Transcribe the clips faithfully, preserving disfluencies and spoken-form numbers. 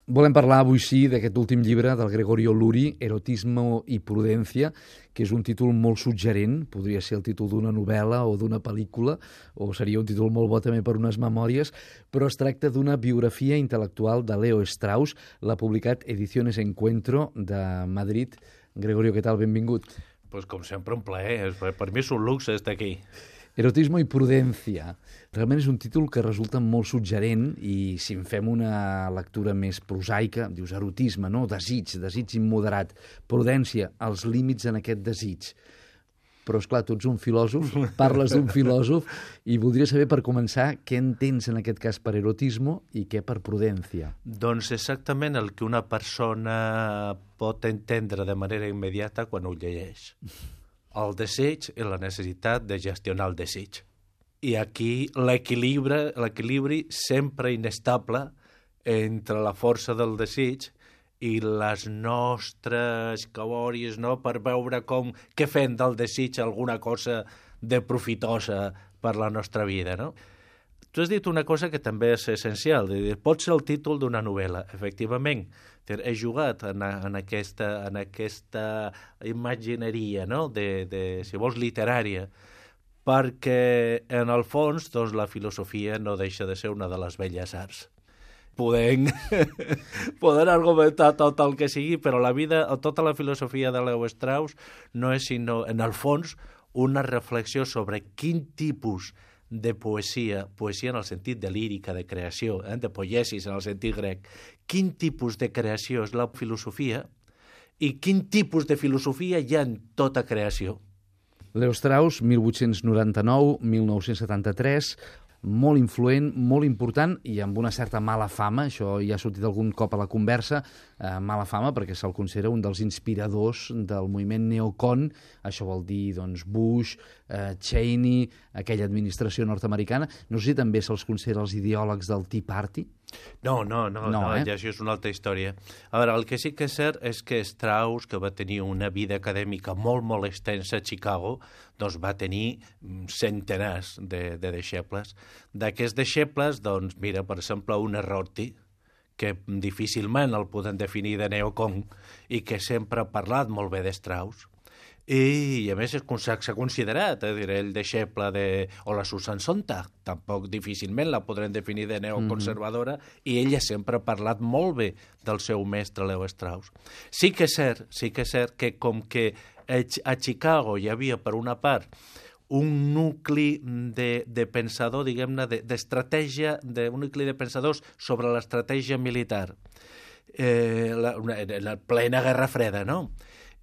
Volem parlar avui sí d'aquest últim llibre del Gregorio Luri, Erotismo y Prudencia, que és un títol molt suggerent, podria ser el títol d'una novel·la o d'una pel·lícula, o seria un títol molt bo també per unes memòries, però es tracta d'una biografia intel·lectual de Leo Strauss, l'ha publicat Ediciones Encuentro de Madrid. Gregorio, què tal? Benvingut. Pues com sempre, un plaer. Per mi és un luxe estar aquí. Erotismo y Prudencia. Realment és un títol que resulta molt suggerent i si en fem una lectura més prosaica, dius erotisme, no? Desig, desig immoderat. Prudència, els límits en aquest desig. Però, esclar, tu ets un filòsof, parles d'un filòsof i voldria saber, per començar, què entens en aquest cas per erotismo i què per prudència. Doncs exactament el que una persona pot entendre de manera immediata quan ho llegeix. El desig i la necessitat de gestionar el desig. I aquí l'equilibri, l'equilibri sempre inestable entre la força del desig i les nostres cabòries, no?, per veure com, què fem del desig alguna cosa de profitosa per la nostra vida, no? Tu has dit una cosa que també és essencial. Pot ser el títol d'una novel·la, efectivament. He jugat en, en, aquesta, en aquesta imagineria, no?, de, de, si vols, literària, perquè, en el fons, doncs, la filosofia no deixa de ser una de les belles arts. Podem, podem argumentar tot el que sigui, però la vida, tota la filosofia de Leo Strauss no és sinó, en el fons, una reflexió sobre quin tipus de poesia, poesia en el sentit de lírica, de creació, eh? de poiesis en el sentit grec, quin tipus de creació és la filosofia i quin tipus de filosofia hi ha en tota creació. Leo Strauss, mil vuit-cents noranta-nou a mil nou-cents setanta-tres, molt influent, molt important i amb una certa mala fama, això ja ha sortit algun cop a la conversa, eh, mala fama perquè se'l considera un dels inspiradors del moviment neocon, això vol dir doncs, Bush, eh, Cheney, aquella administració nord-americana. No sé si també se'ls considera els ideòlegs del Tea Party. No, no, no, no, no eh? ja això és una altra història. A veure, el que sí que és cert és que Strauss, que va tenir una vida acadèmica molt, molt extensa a Chicago, doncs va tenir centenars de, de deixebles. D'aquests deixebles, doncs, mira, per exemple, un Rorty, que difícilment el podem definir de neocon i que sempre ha parlat molt bé de Strauss. I, i a més s'ha considerat, eh, dir, el deixeble de... o la Susan Sontag, tampoc difícilment la podrem definir de neoconservadora, mm-hmm. i ella sempre ha parlat molt bé del seu mestre Leo Strauss. Sí que és cert, sí que és cert que com que a Chicago hi havia, per una part, un nucli de, de pensador, diguem-ne, d'estratègia, de, un nucli de pensadors sobre l'estratègia militar, eh, la, una, la plena Guerra Freda, no?,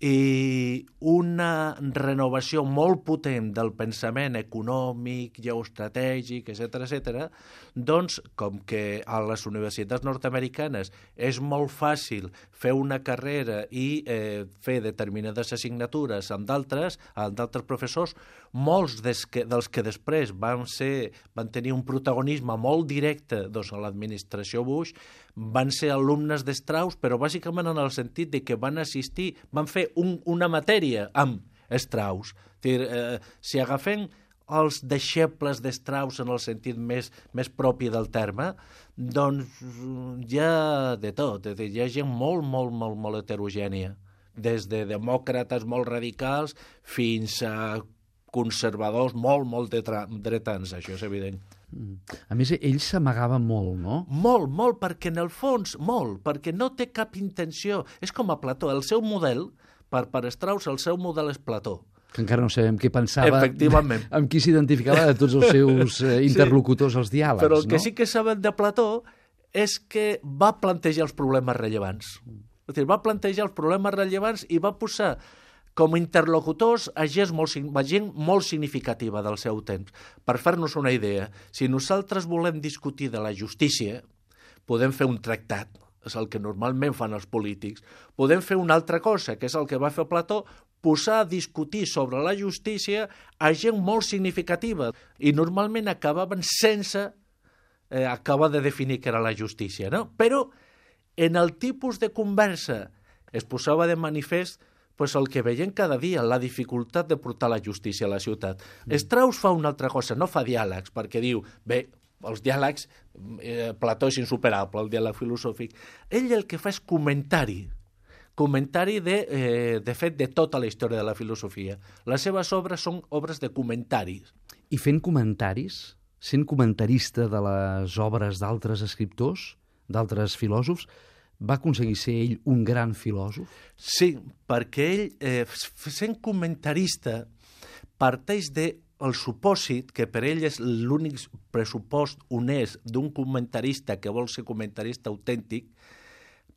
i una renovació molt potent del pensament econòmic, geoestratègic, etcètera, etcètera, doncs, com que a les universitats nord-americanes és molt fàcil fer una carrera i eh, fer determinades assignatures amb d'altres, amb d'altres professors, molts des que, dels que després van, ser, van tenir un protagonisme molt directe doncs, a l'administració Bush, van ser alumnes de Strauss, però bàsicament en el sentit de que van assistir, van fer un, una matèria amb Strauss. Dir, eh, si agafem els deixebles de Strauss en el sentit més, més propi del terme, doncs hi ha de tot. Dir, hi ha gent molt, molt, molt, molt heterogènia, des de demòcrates molt radicals fins a conservadors molt, molt dretans, això és evident. A més, ell s'amagava molt, no? Molt, molt, perquè en el fons, molt, perquè no té cap intenció. És com a Plató, el seu model, per, per Strauss, el seu model és Plató. Que encara no sabem què pensava, efectivament, amb qui s'identificava de tots els seus eh, interlocutors als diàlegs, però el que no? sí que saben de Plató és que va plantejar els problemes rellevants. És dir, va plantejar els problemes rellevants i va posar com a interlocutors a gent molt, a gent molt significativa del seu temps. Per fer-nos una idea, si nosaltres volem discutir de la justícia, podem fer un tractat, és el que normalment fan els polítics. Podem fer una altra cosa, que és el que va fer Plató, posar a discutir sobre la justícia a gent molt significativa i normalment acabaven sense eh, acabar de definir què era la justícia, no? Però en el tipus de conversa es posava de manifest pues el que veiem cada dia, la dificultat de portar la justícia a la ciutat. Mm. Strauss fa una altra cosa, no fa diàlegs, perquè diu, bé, els diàlegs, eh, Plató és insuperable, el diàleg filosòfic. Ell el que fa és comentari, comentari de, eh, de fet de tota la història de la filosofia. Les seves obres són obres de comentaris. I fent comentaris, sent comentarista de les obres d'altres escriptors, d'altres filòsofs, va aconseguir ser ell un gran filòsof? Sí, perquè ell, eh, sent comentarista, parteix del supòsit, que per ell és l'únic pressupost honest d'un comentarista que vol ser comentarista autèntic,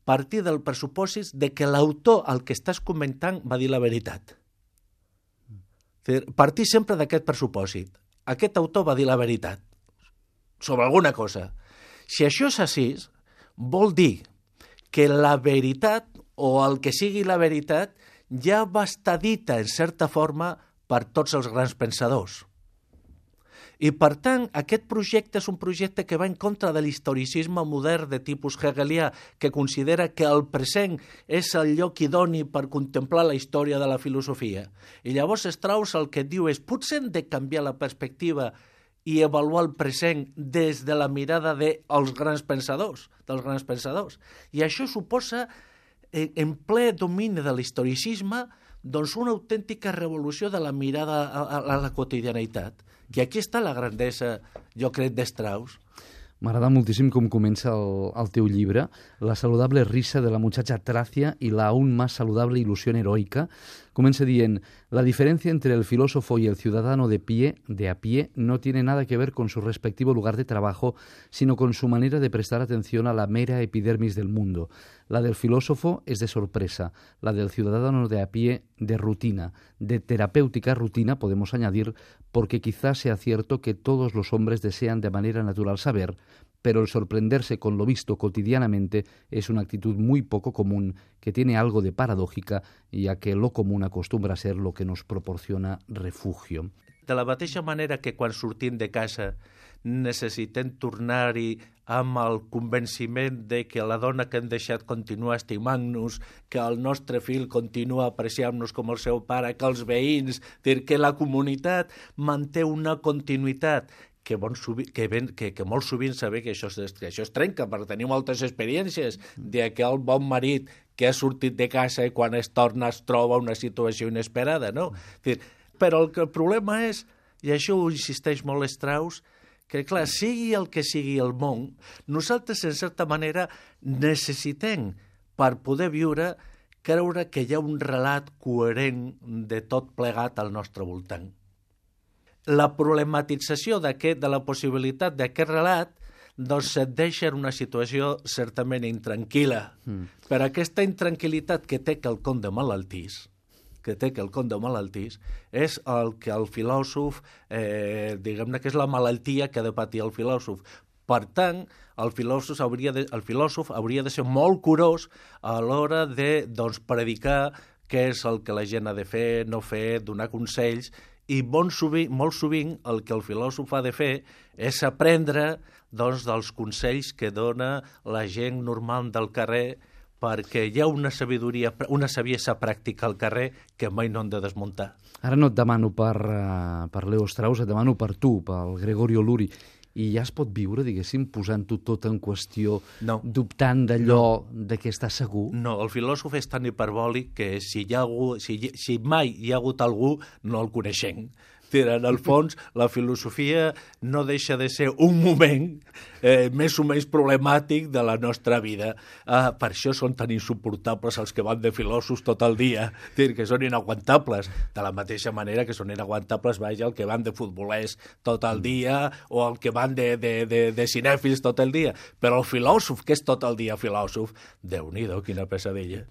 partir del pressupòsit de que l'autor al que estàs comentant va dir la veritat. Partir sempre d'aquest pressupòsit. Aquest autor va dir la veritat sobre alguna cosa. Si això és així, vol dir que la veritat, o el que sigui la veritat, ja va estar dita, en certa forma, per tots els grans pensadors. I, per tant, aquest projecte és un projecte que va en contra de l'historicisme modern de tipus hegelià, que considera que el present és el lloc idoni per contemplar la història de la filosofia. I llavors Strauss el que et diu és potser hem de canviar la perspectiva i avaluar el present des de la mirada dels grans pensadors, dels grans pensadors. I això suposa, en ple domini de l'historicisme, doncs una autèntica revolució de la mirada a, a la quotidianitat. I aquí està la grandesa, jo crec, de Strauss. M'agrada moltíssim com comença el, el teu llibre, La saludable risa de la muchacha Tracia y la aún más saludable ilusión heroica. Comença dient, la diferencia entre el filósofo y el ciudadano de pie, de a pie, no tiene nada que ver con su respectivo lugar de trabajo, sino con su manera de prestar atención a la mera epidermis del mundo. La del filósofo es de sorpresa, la del ciudadano de a pie de rutina, de terapéutica rutina, podemos añadir, porque quizás sea cierto que todos los hombres desean de manera natural saber, pero el sorprenderse con lo visto cotidianamente es una actitud muy poco común que tiene algo de paradójica, ya que lo común acostumbra a ser lo que nos proporciona refugio. De la mateixa manera que quan sortim de casa necessitem tornar-hi amb el convenciment de que la dona que hem deixat continua estimant-nos, que el nostre fill continua apreciant-nos com el seu pare, que els veïns, que la comunitat manté una continuïtat, que, bon sovint, que, ben, que, que molt sovint saber que això, es, que això es trenca, perquè tenim moltes experiències de que el bon marit que ha sortit de casa i quan es torna es troba una situació inesperada, no? Però el, el problema és, i això ho insisteix molt Strauss, que, clar, sigui el que sigui el món, nosaltres, en certa manera, necessitem, per poder viure, creure que hi ha un relat coherent de tot plegat al nostre voltant. La problematització d'aquest, de la possibilitat d'aquest relat, doncs et deixa en una situació certament intranquil·la. Mm. Per aquesta intranquil·litat que té quelcom de malaltís, que té quelcom de malaltís, és el que el filòsof, eh, diguem-ne que és la malaltia que ha de patir el filòsof. Per tant, el filòsof hauria de, el filòsof hauria de ser molt curós a l'hora de doncs, predicar què és el que la gent ha de fer, no fer, donar consells, i bon sovint, molt sovint el que el filòsof ha de fer és aprendre doncs, dels consells que dona la gent normal del carrer, perquè hi ha una sabidoria, una saviesa pràctica al carrer que mai no han de desmuntar. Ara no et demano per, uh, per Leo Strauss, et demano per tu, pel Gregorio Luri. I ja es pot viure, diguéssim, posant-ho tot en qüestió, no. dubtant d'allò no. de què està segur? No, el filòsof és tan hiperbòlic que si, hi ha algú, si, si mai hi ha hagut algú, no el coneixem. En el fons, la filosofia no deixa de ser un moment eh, més o menys problemàtic de la nostra vida. Ah, per això són tan insuportables els que van de filòsofs tot el dia, dir, que són inaguantables. De la mateixa manera que són inaguantables, vaja, el que van de futbolers tot el dia o el que van de, de, de, de cinèfils tot el dia. Però el filòsof, que és tot el dia filòsof, Déu-n'hi-do, quina pesadilla.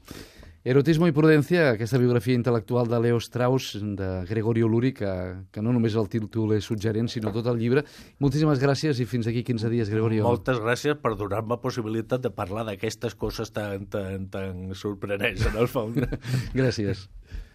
Erotismo i prudència, aquesta biografia intel·lectual de Leo Strauss, de Gregorio Luri, que, que no només el títol és suggerent, sinó tot el llibre. Moltíssimes gràcies i fins aquí quinze dies, Gregorio. Moltes gràcies per donar-me possibilitat de parlar d'aquestes coses tan, tan, tan sorprenents, en el fons. Gràcies.